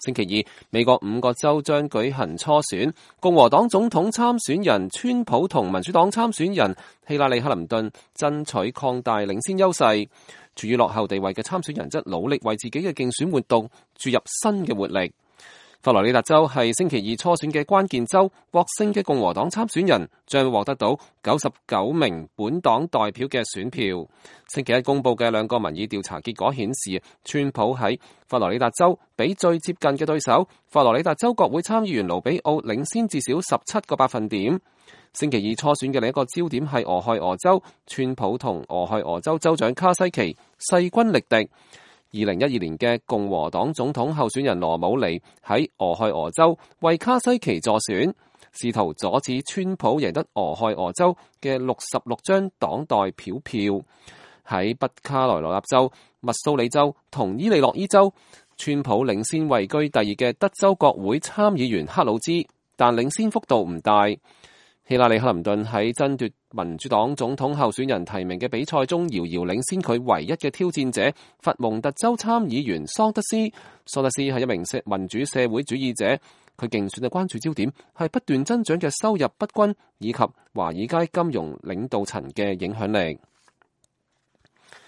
星期二，美國5個州將舉行初選，共和黨總統參選人川普同民主黨參選人希拉里克林頓爭取擴大領先優勢，處於落後地位嘅參選人則努力為自己嘅競選活動注入新嘅活力。佛羅里達州係星期二初選嘅關鍵州，獲勝嘅共和黨參選人將獲得到99名本黨代表嘅選票。星期一公佈嘅2個民意調查結果顯示，川普喺佛羅里達州比最接近嘅對手佛羅里達州國會參議員盧比奧領先至少17個百分點。星期二初選嘅另一個焦點係俄亥俄州，川普同俄亥俄州州長卡西奇勢均力敵。2012年嘅共和黨總統候選人羅姆尼喺俄亥俄州為卡西奇助選，試圖阻止川普贏得俄亥俄州嘅66張黨代表票。喺北卡羅來納州、密蘇里州同伊利諾伊州，川普領先位居第二嘅德州國會參議員克魯茲，但領先幅度唔大。希拉里克林頓喺爭奪民主黨總統候選人提名嘅比賽中，遙遙領先佢唯一嘅挑戰者佛蒙特州參議員桑德斯。桑德斯係一名民主社會主義者，佢競選嘅關注焦點係不斷增長嘅收入不均以及華爾街金融領導層嘅影響力。